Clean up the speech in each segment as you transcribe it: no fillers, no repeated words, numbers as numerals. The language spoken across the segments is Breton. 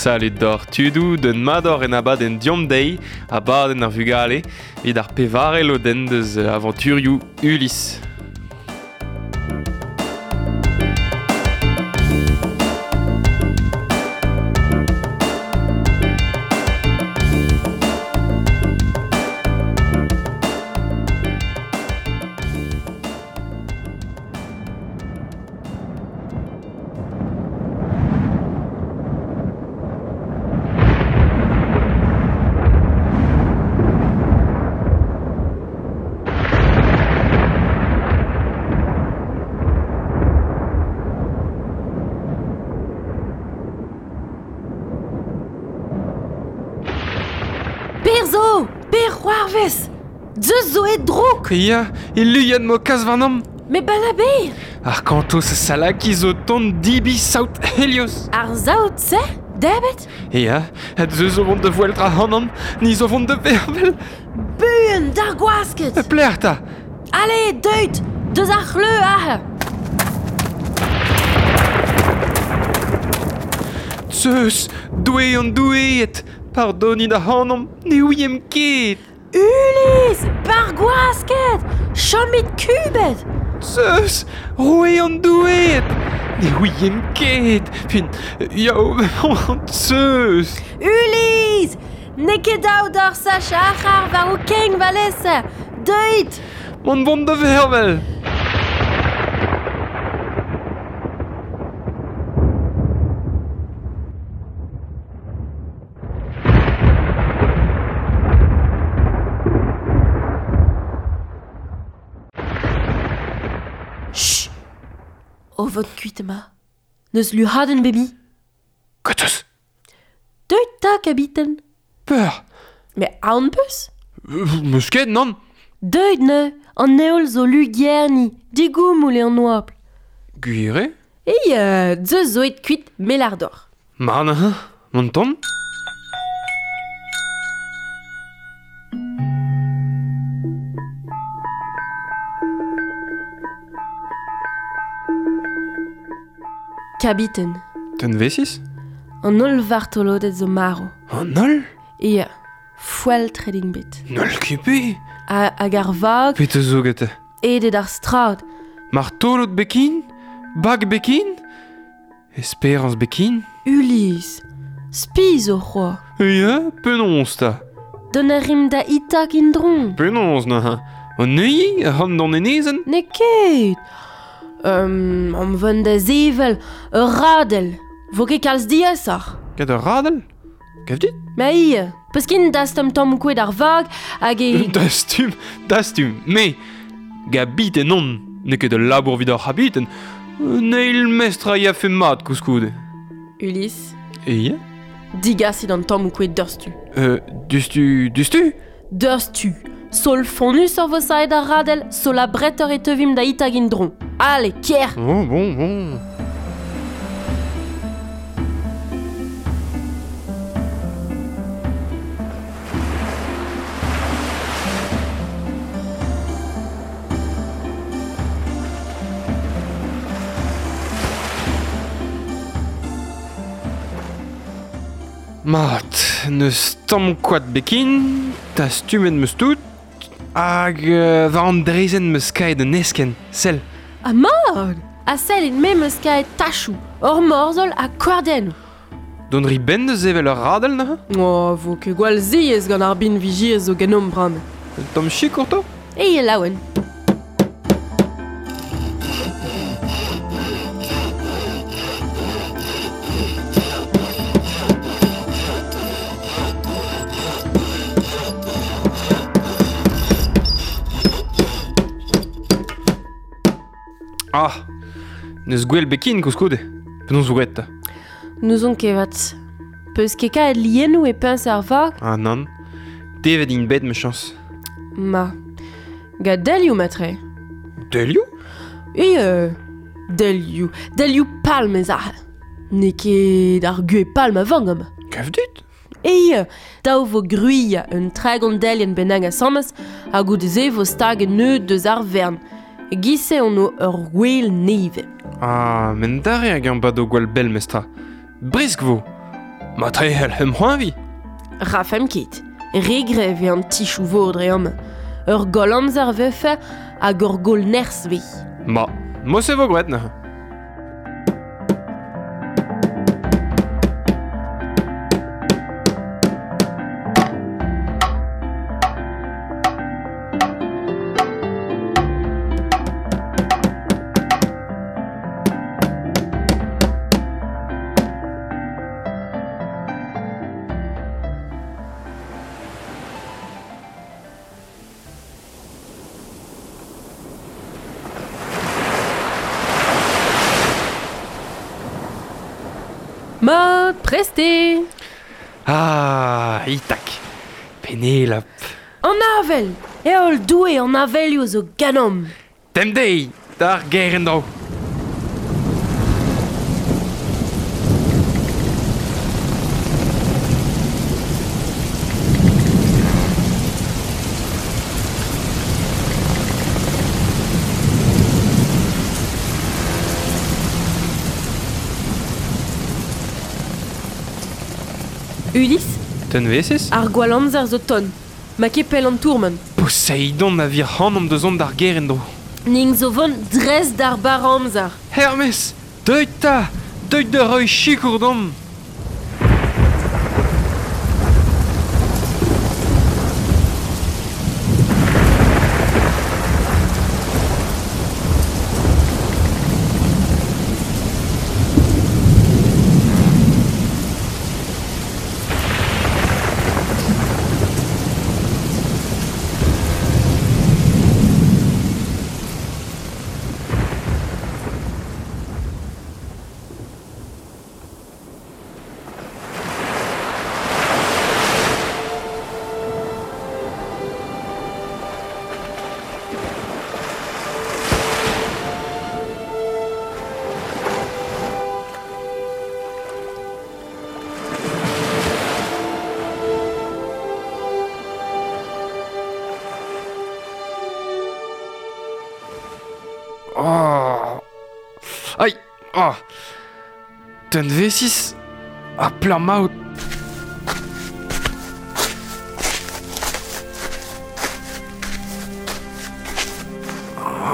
Salut d'or tudou, d'un mador en abadenn diom deiz, abadenn ar vugale, evit ar pevare lodenn deus avanturioù Ulysse. Per zo Per c'hoarvez Zeus zo e drouk Ya, e luiad mo kas warnom. Me balaber Ar kantos salaki zo tont dibi saout Helios. Ar saout-se Debet Ya, ha zeus zo vont de voeltra hanan, ni zo vont de vervel. Buan, d'ar gwasket Plec'h ta Allez, deuit Deus ar c'hleu aze Zeus, doue an doueet, pardonit ac'hanomp, ne ouiemp ket. Ulysse Bar gwasket Chomit kubet Zeus, roue an doueet, ne ouiemp ket. Fin, yao, Zeus. Ulysse N'eo ket dav d'ar sach ar war ho keng valese Deuit Mont vont da vervel. Chut O vot kuit ema. Neus luhadenn bebi. Kotos, Deuit ta, kabiten. peur. Mais aon peus Meus ket, nann. Deuit ne, an heol zo lugerni, digoumoul eo an oabl. Gwir eo E zeus zo et kuit melardor. Mar neuze, mont tont. Kabiten, Ten vesis an holl vartolodet zo maro. An holl E foel trading bet. N'holl ket pe Ha, hag ar vag, Pete zo gete. edet ar strad. Martolod bekin Bag bekin Espérance bekin Ulysse, spi zo c'hoa. Ya, penaos ta Don a rim da itak indron. Penaos neuze. An neuiñ a ran d'an enezenn Ne ket. Am vont da zevel, ur radel. Vo ket kalz diaesoc'h. Ket ur radel Gav dit Ma ie, peus kin dastum tamm kouet ar vag hag e... Dastum, dastum, me Gabiten on, n'eo ket ul labour evit ar c'habiten. Un eil mestr a yafe mat koulskoude. Ulysse, E ya digasit an tamm kouet deurstu. Dustu, dustu Deurstu. Sol fonnus ur vo saet ar radel, sol a bretter e teuvim da itag indron. Allez, kier Bon, bon, bon. Mat, neus tamm koad bekin, dastumet meus tout, hag war an drezenn meus kaet un esken, sell. A mat A sell et me meus kaet tachou, ur morzhol ha kordennoù. Don ri ben deus evel ur radel neuze? Oh, vo ket gwall ziez gant ar bin vijiez zo genomp bram. Un tamm chikour to? E e laouen. Ah, neus gwell bekin koulskoude. Penaos zo graet ta? N'ouzon ket vat. Peus ket kaet liennoù e peñs ar vag? Ah nann. Devet int bet ma chañs. Ma. Gant delioù matre. Delioù? E delioù. Delioù palm ez aze. N'eo ket ar gwez palm a vang amañ. Gav dit? E dav vo gruilh un tregont delien bennak asambles ha goude-se vo stag un neud deus ar vern. E giz-se on o ur gwel nevez. Ah, men dare hag an bado gwall bell mestra. Bresk vo. Ma trehel hem c'hoañvi. Rafem ket. Re grev eo an tichoù vor dre amañ. Ur goll amzer vefe hag ur goll nerzh ve. Ma, mo se vo gwet neuze. Mat, prest eo! Ah, Itak, Penelope. An avel! Heol Doue an avelioù zo ganeomp! Demp dezhi, d'ar gêr en-dro. Ulysse? Tenvesis? Ar gwall amzer zo ton. Ma ket pell an tourment. Poseidon a vir c'hanomp da zont d'ar gêr en-dro. Ning zo vont dres d'ar bar amzer. Hermes, deuit 'ta! Deuit da reiñ sikour deomp! Oh. Aïe. Oh. Ten V6. Ah, plein maout.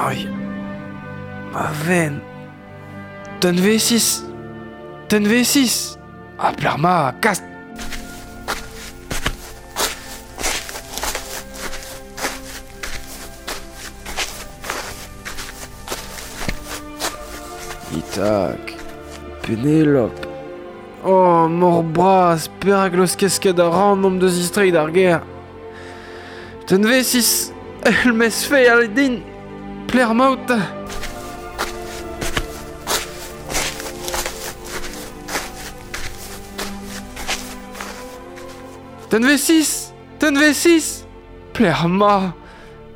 Aïe. Ma veine. Ten V6. Ten V6. Ah, plein ma. Casse. Itak, Penelope. Oh, mor bras, perak laoskez ket a ran omp da zistreiñ d'ar gêr. Ten V6, el mes fe din, pler maout. Ten V6, ten V6, pler ma,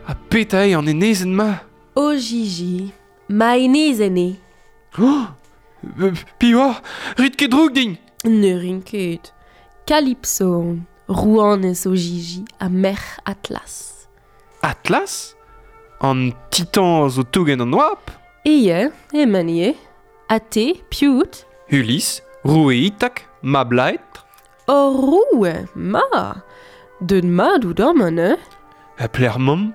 ha petra eo an enezenn-ma. O Gigi, ma enezenn eo. Oh, piv oc'h? Rit ket droug din! Ne rin ket. Kalypso on, rouanez o Gigi ha merc'h Atlas. Atlas? An titan zo tougen an oabl? Eo, emañ ivez. Ha te, piv out? Ulysse, roue Itak, mab Laetr. Hor roue, ma! Deut mat out amañ neuze? Ha pelec'h mamm?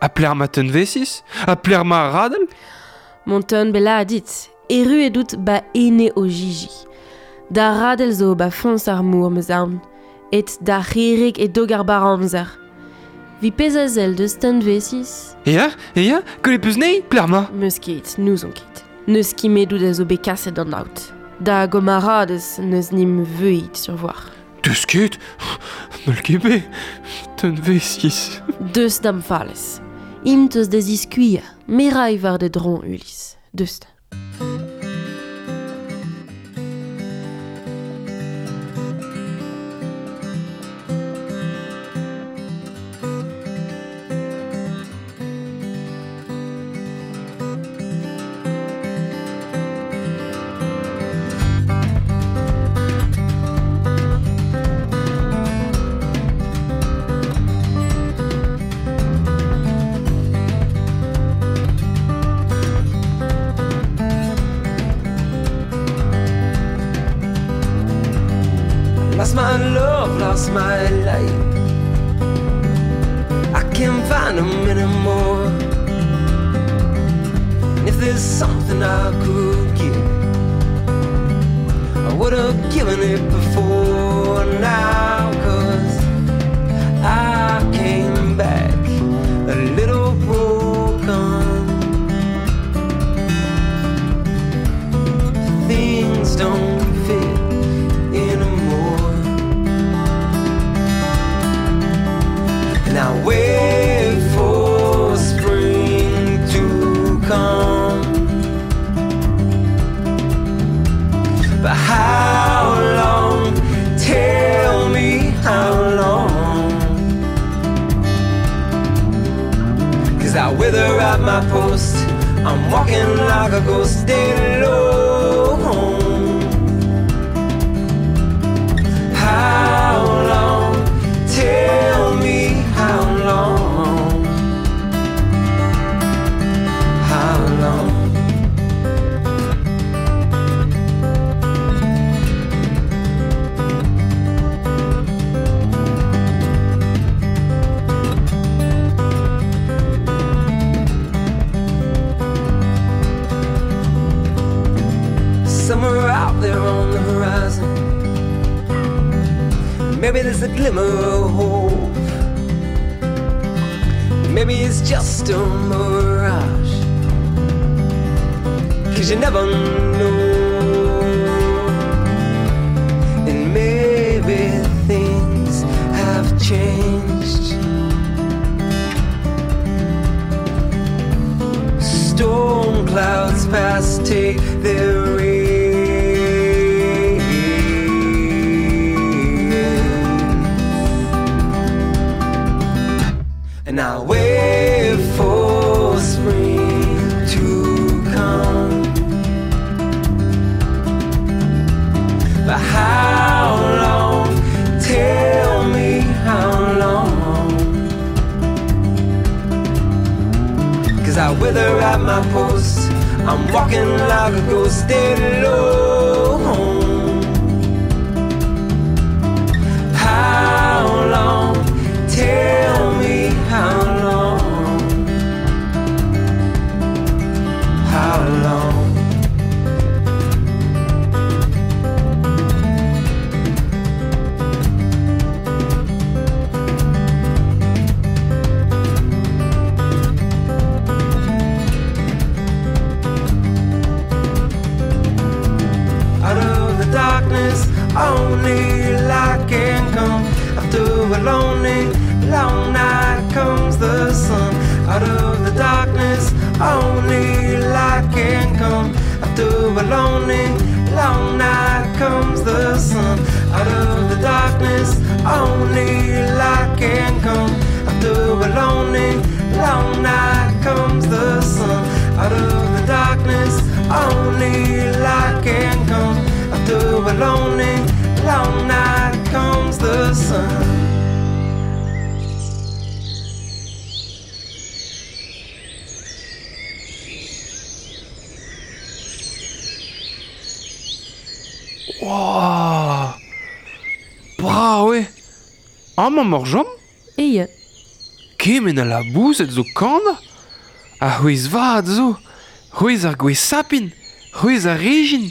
Ha pelec'h ma tenvesis? Ha pelec'h ma radell? Mont bella dit, erruet out ba ene o Gigi. Da radell zo ba foñs ar mor, 'm eus aon. Et da c'herreg e dog ar bar amzer. Vi pezh a sell deus tenvesis? Ya, ya, kollet peus anezhi, pelec'h 'ma? 'Meus ket, n'ouzon ket. N'eus ket a zo bet kaset d'an aod. Da gomaradez n'eus nim veuit sur voir. Deus ket? N'hall ket bet. Tenvesis. Deus da'm falez. Int eus da ziskuilhañ, me ray war da dron, Ulysse. Deus 'ta. my love, lost my light. I can't find them anymore. And if there's something I could give, I would have given it before now. 'Cause I came back a little broken. Things don't fit anymore. And I wait for spring to come. But how long? Tell me how long. 'Cause I wither at my post. I'm walking like a ghost alone. How long? Tell me how long. How long? Somewhere out there on the horizon, maybe there's a glimmer of hope. Maybe it's just a mirage. 'Cause you never know. And maybe things have changed. Storm clouds pass, take their rain. And I wait for spring to come. But how long? Tell me how long. 'Cause I wither at my post. I'm walking like a ghost alone. How long? Tell me how long. How long? Out of the darkness, only light can come. After a lonely, long night comes the sun. Out of the darkness, only light can come. After a lonely, long night comes the sun. Out of the darkness, only light can come. After a lonely, long night comes the sun. Out of the darkness, only light can come. After a lonely, long night comes the sun. Wow. Brav eo. Amañ emañ jom? Eo. Kement a laboused zo kanañ. Ar c'hwezh vat zo. C'hwezh ar gwez sapin. C'hwezh ar rejin.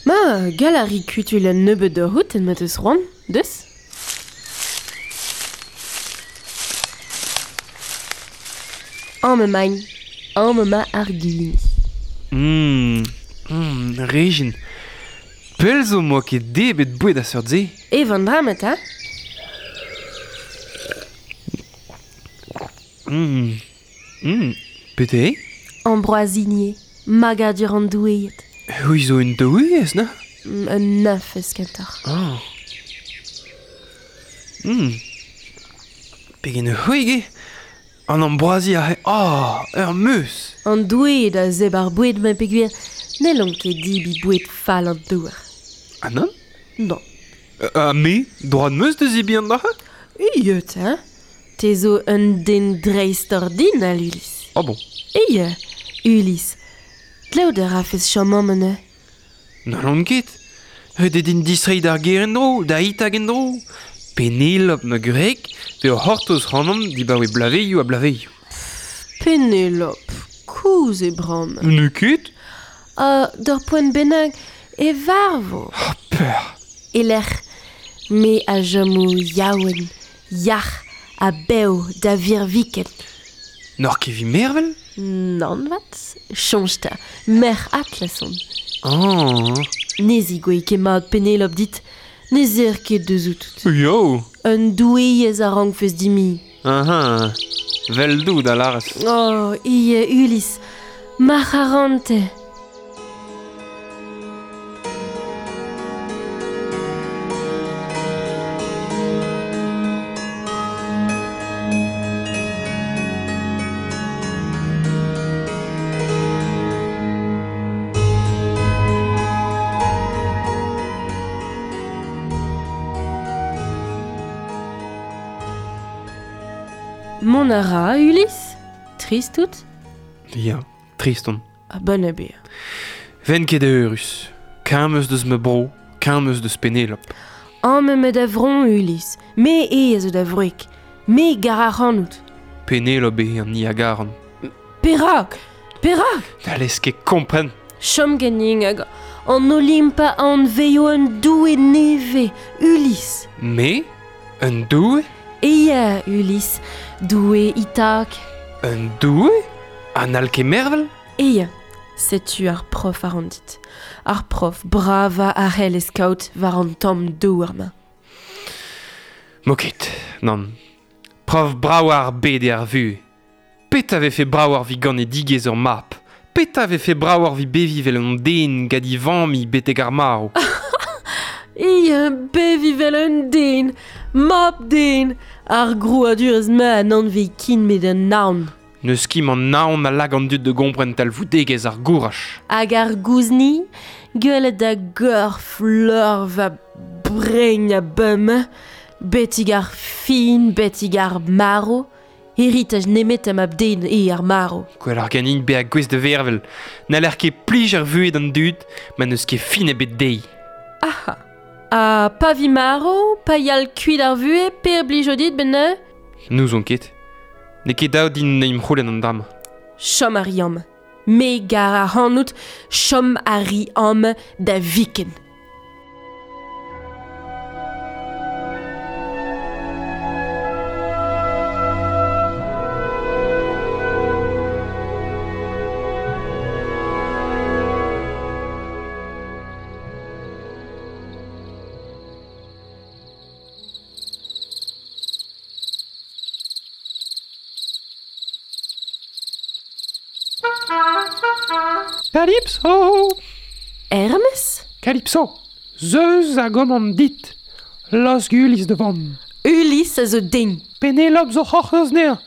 Ma, gall a ri kutuilh un nebeud da c'hoût ma teus c'hoant, deus? Amañ emaint. Amañ emañ ar gwinizh. Rejin. Pell zo 'moa ket debret boued a seurt-se. Ev an dra-mañ 'ta. Petra eo? Ambroazinier, magadur an doueed. C'hwi zo un doueez, na? Un neñfez kentoc'h. Ah. Pegen c'hwek eo? An ambroazi aze, oh, ur meuz. An doueed a zebr ar boued-mañ peogwir n'hellont ket debriñ boued fall an douar. Ah nann? Non. Ha me, droad 'm eus da zebriñ an dra-se? Iet, hein? Te zo un den dreistordinal, Ulysse. Ah bon? Eo, Ulysse. Dleout a rafes chom amañ neuze. N'hallon ket. Ret eo din distreiñ d'ar gêr en-dro, da Itag en-dro. Penelope ma gwreg, pe o c'hortoz c'hanomp dibaoe blavezhioù ha blavezhioù. Penelope, kozh eo bremañ. N'eo ket? Ha d'ur poent bennak e varvo. Oh, peur. E-lec'h me a chomo yaouank, yac'h ha bev da virviken. N'oc'h ket evit mervel? Nann 'vat, soñj 'ta, merc'h Atlas on. Ah. Ne zigouez ket mat Penelope dit, ne zer ket deus-out. Yo. Un doueez a rankfes dimiñ. Ah, Vel-dout a lârez. Oh, ivez Ulysse, ma c'harantez. Mont a ra, Ulysse? Trist out? Ya, trist on. Ha bon eo bezañ. Ven ket eürus. Kamm eus deus ma bro, kamm eus deus Penelope. Amañ emañ da vro, Ulysse. Me eo a zo da wreg. Me 'gar ac'hanout. Penelope eo an hini a garan. Perak? Perak? N'hallez ket kompren. Chom ganin hag an Olimp a anveio un doue nevez, Ulysse. Me? Un doue? Ya, Ulysse, doue Itak. Un doue? Ha n'hall ket mervel? Ya, setu ar prof a ran dit. Ar prof bravañ a c'hellez kaout war an tamm douar-mañ. M'o ket, nann. Prof brav ar bed eo ar vuhez. Petra 'vefe bravoc'h 'vit ganedigezh ur mab? Petra 'vefe bravoc'h 'vit beviñ 'vel un den gant e vamm betek ar marv? Ya, beviñ 'vel un den, mab-den, ar grouadurez-mañ a n'anvez ken met an naon. N'eus ket an naon a lak an dud da gompren talvoudegezh ar gouraj. Hag ar gouzni, gwelet da gorf lor va brein a bum, betek ar fin, betek ar marv, heritaj nemet mab-den eo ar marv. Gwelloc'h ganin bezañ gouest da vervel. N'haller ket plij ar vuhez d'an dud ma n'eus ket fin ebet dezhi. Aha. Ha pa vi marv, pa yal kuit ar vuhez, per blijo dit 'benn neuze? N'ouzon ket. N'eo ket dav din en em c'houlenn an dra-mañ. Chom a ri amañ. Me 'gar ac'hanout, chom a ri amañ da viken. Calypso! Hermes? Calypso! Zeus a gomand dit. Laosk Ulysse da vont. Ulysse a zo den. Penelope zo c'hortoz anezhañ.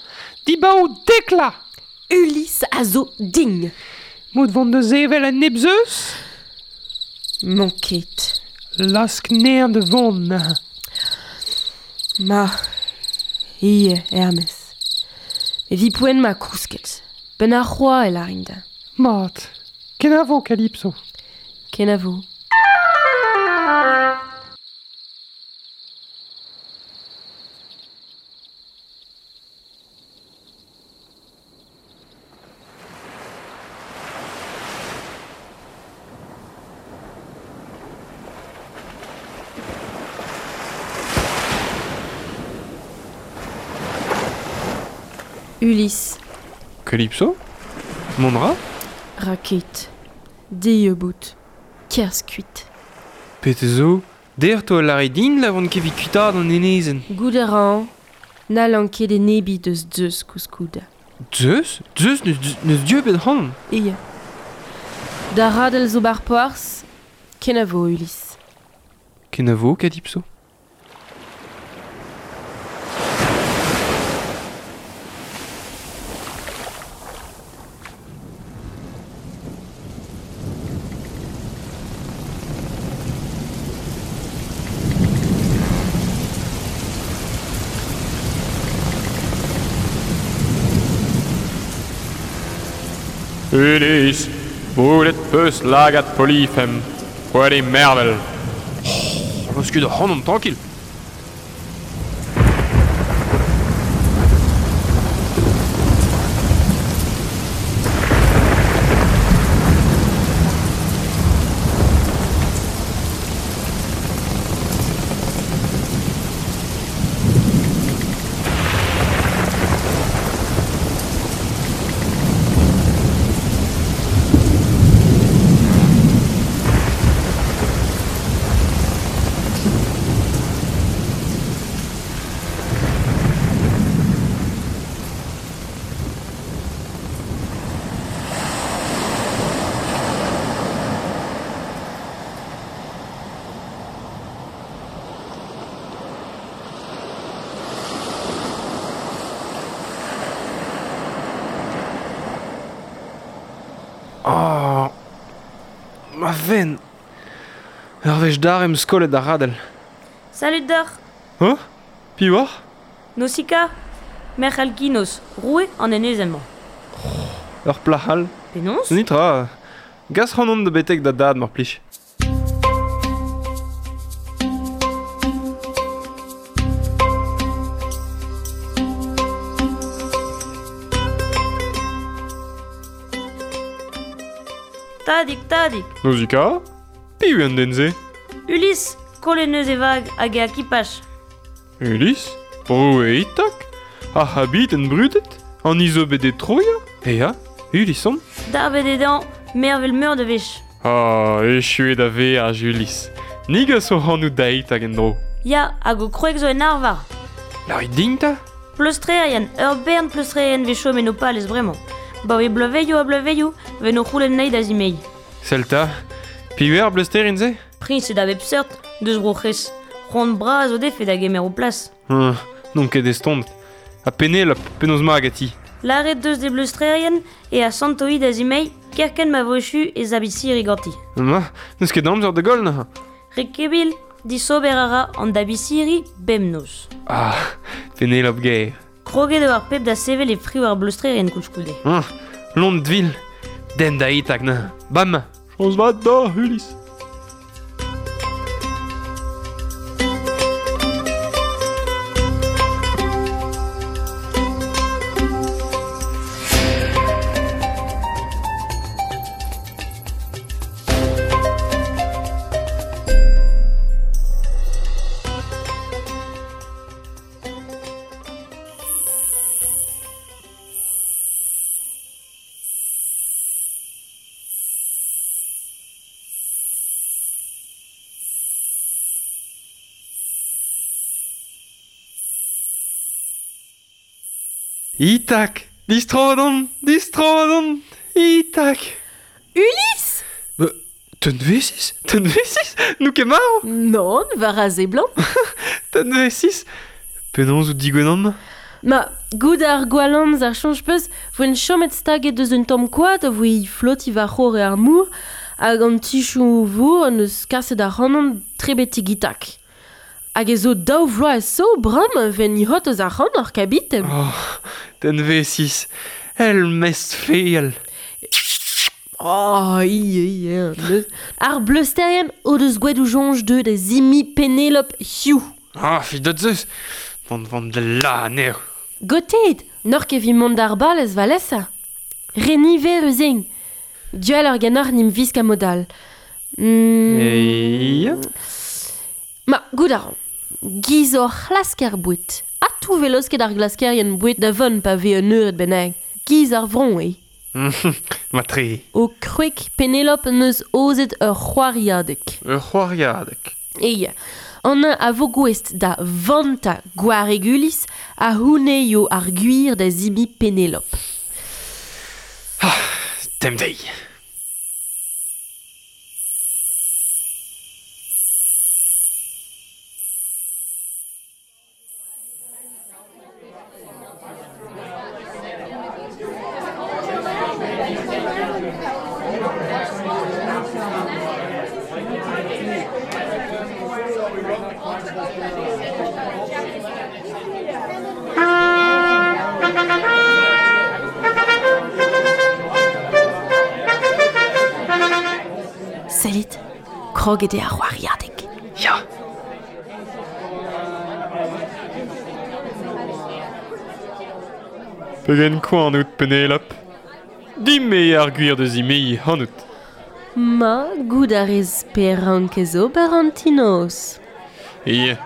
Dibaot Tekla! Ulysse a zo din. Mod vont da sevel un nep Zeus? N'on ket. Laosk anezhañ da vont. Ma, ivez, Hermes. Evit poent ma kousket. Benn ar c'hoaz e lârin da. Mat. Kenavo, Calypso. Kenavo. Ulysse. Calypso? Mont a ra? Ra ket. Dieub out. Kerzh kuit. Petra zo? Dec'h 'toa lâret din la oan ket evit kuitaat an enezenn. Goût a ran. N'hallan ket enebiñ deus Zeus koulskoude. Zeus? Zeus n'eus dieubet ac'hanon. Ya. Da radell zo 'bar porzh. Kenavo, Ulysse. Kenavo, Calypso. Ulysse, boulet peus lagad Polyfem, poent eo mervel. Laoskit ac'hanomp trankil. Oh, ma ven. Ur wech dar em skolet ar radel. Salut deoc'h. Oh, piv oc'h? Nausicaa, merc'h Alkinos, roue an enezenn-mañ. Oh, ur plac'h all. Penaos? Nitra. Gas c'hanon da betek da dad, mar plij. Tadig, tadig. Nausicaa? Piv an den-se? Ulysse, kollet neus e vag hag e akipaj. Ulysse? Roue Itak? Ar c'habiten brudet? An izo bet e Troia? Ea, Ulysse on? Darbet eo dezhañ mervel meur da wech. Ah, echuet da veaj, Ulysse. Ni gaso c'hanoù da Itak en-dro. Ya, hag ho kwreg zo en arvar. Lârit din 'ta? Pleustrerien, ur bern pleustrerien 'vez chom en ho palez bremañ. Baoe bloavezhioù ha bloavezhioù 'ven o c'houlenn anezhi da zimeiñ. Sell 'ta, piv eo ar bleusterien-se? Priñsed a bep seurt, deus Bro-C'hres. C'hoant bras o defe da gemer o plas. N'on ket estonnet. Ha Penelope, penaos 'ma ganti? Lâret deus d'e bleustrerien e asanto-hi da zimeiñ kerkent ma vo echu e zabisiri ganti. Ma, n'eus ket amzer da goll neuze. Rekebil, disober a ra an dabisiri bemnoz. Ah, Penelope gaer. Kroget eo ar pep da sevel e frioù ar bleustrerien koulskoude. Lont vil, den da Itak neuze. Bam! Chañs vat deoc'h, Ulysse. Itak! Distro on! Distro on! Itak! Ulysse! Tenvesis? Tenvesis? N'out ket marv? Nann, war a seblant. Tenvesis? Penaos out digwenan? Ma, gout ar gwall amzer soñj 'peus, voen chomet staget deus un tamm koad a voe flotiñ war c'horre ar mor hag an tichoù vor en deus kaset ac'hanon tre betek Itak. Hag e zo daou vloaz zo bremañ 'ven hot eus ac'hanoc'h ar kabiten. Oh, Tenvesis, el mestr feal. Oh, ie, ie. Ar bleusterien o deus gwet o soñj deuet da zimiñ Penelope Hugh. Ah, fidot zeus, mont vont da la anezho. Gotet, n'oc'h ket evit mont d'ar balez valesa. Re niverus int. Dual ganeoc'h n'im visk a mod all. Ya. Ma, goût a ran. Giz hor c'hlasker boued. Ha tou vez laosket ar glaskerien boued da vont pa vez un eured bennak. Giz ar vron eo. Matre. O kwreg Penelope n'eus aozet ur c'hoariadeg. Ur c'hoariadeg. Eya. An a vo gouest da vanta gwareg Ulysse a c'houneio ar gwir da zimiñ Penelope. Ah, tem dezhi. Sellit, kroget eo ar c'hoariadeg. Ya, Pegen koan out, Penelope. Dime ar gwir deus imei hanout. Ma, gout a rez perank ez ober an tinos. E,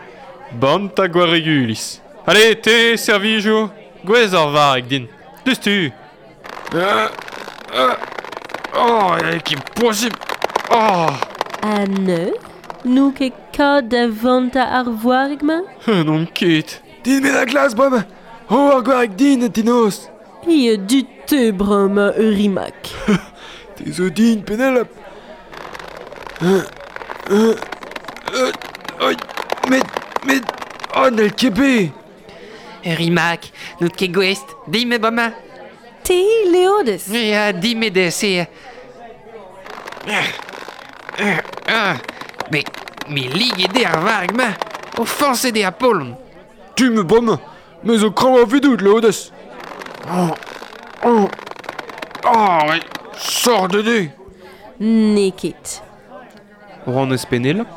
bant a gwaregulis. Allez, te, servijour, gwez ar vareg din. Deus tu. Oh, ket posib. Oh. A ne? Nou ket kad da vanta ar voareg ma? Non ket. Din me da glas, brema. Oh, ar gwareg din, tinos. Ie du te brema urimak. Te zo din, Penelope. Met, oh, n'el ket be. Rimak, n'out ket gouest, dime brema. Te, Leodes. Ya, dime de se. Mais, me lig de ar vareg ma. O forcé de Apollon. Tu me brema, me zo krañ a vidout, Leodes. Oh, oh, oh, mais, sort de dé. N'eo ket. Ran eus Penelope.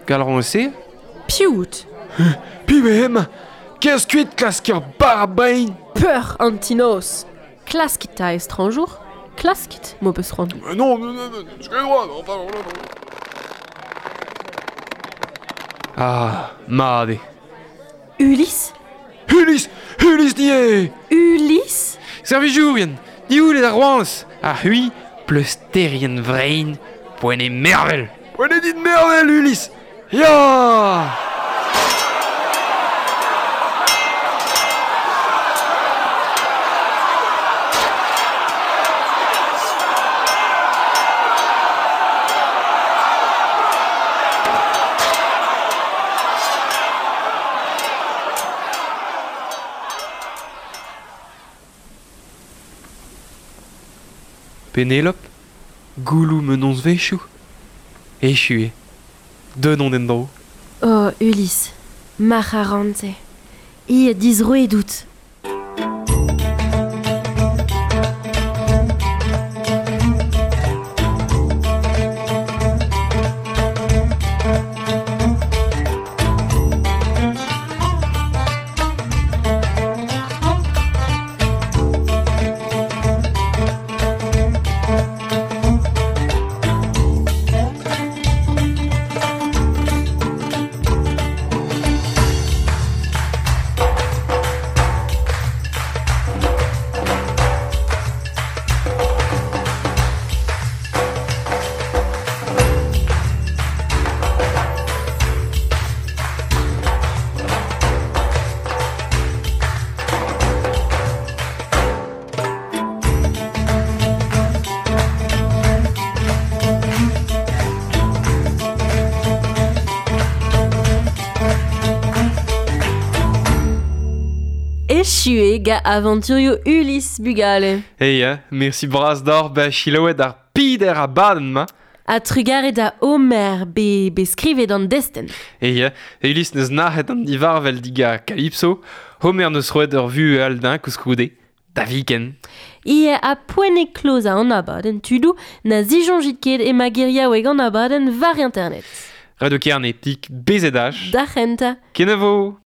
Gal ran eus se? Piout. Piv eo hemañ. Kerzh kuit klask ur bar bain. Peur an tinos. Klaskit ta estranjour. Klaskit, mo peus ran. Non, non, non, je droit, enfin, non, non. Ah, made. Ulysse? Ulysse! Ulysse nie! Ulysse? Servijourien, dioul ar roans. A hui, pleusterien vrein, poent e mervel. Poent e dit mervel, Ulysse! Ya! Penelope, goulou menons vechou. Echu eo. Denon en dro. Oh, Ulysse, marc'harante. Ie dizroet out. Echu ga aventurio Ulysse bugale. Hey, merci bras d'or ba chiloet ar pider a baden ma. A trugare da Homer be skrivet an desten. Hey, Ulysse neus nac'het an divarvel diga Calypso, Homer neus roet ur vu al din kouskoude, da viken. Ie a poent e kloz a an abadenn tudou na zijonjit ket e magiriaoueg an abadenn var internet. Radio Kerne, pik BZH. Da c'henta. Kenavo.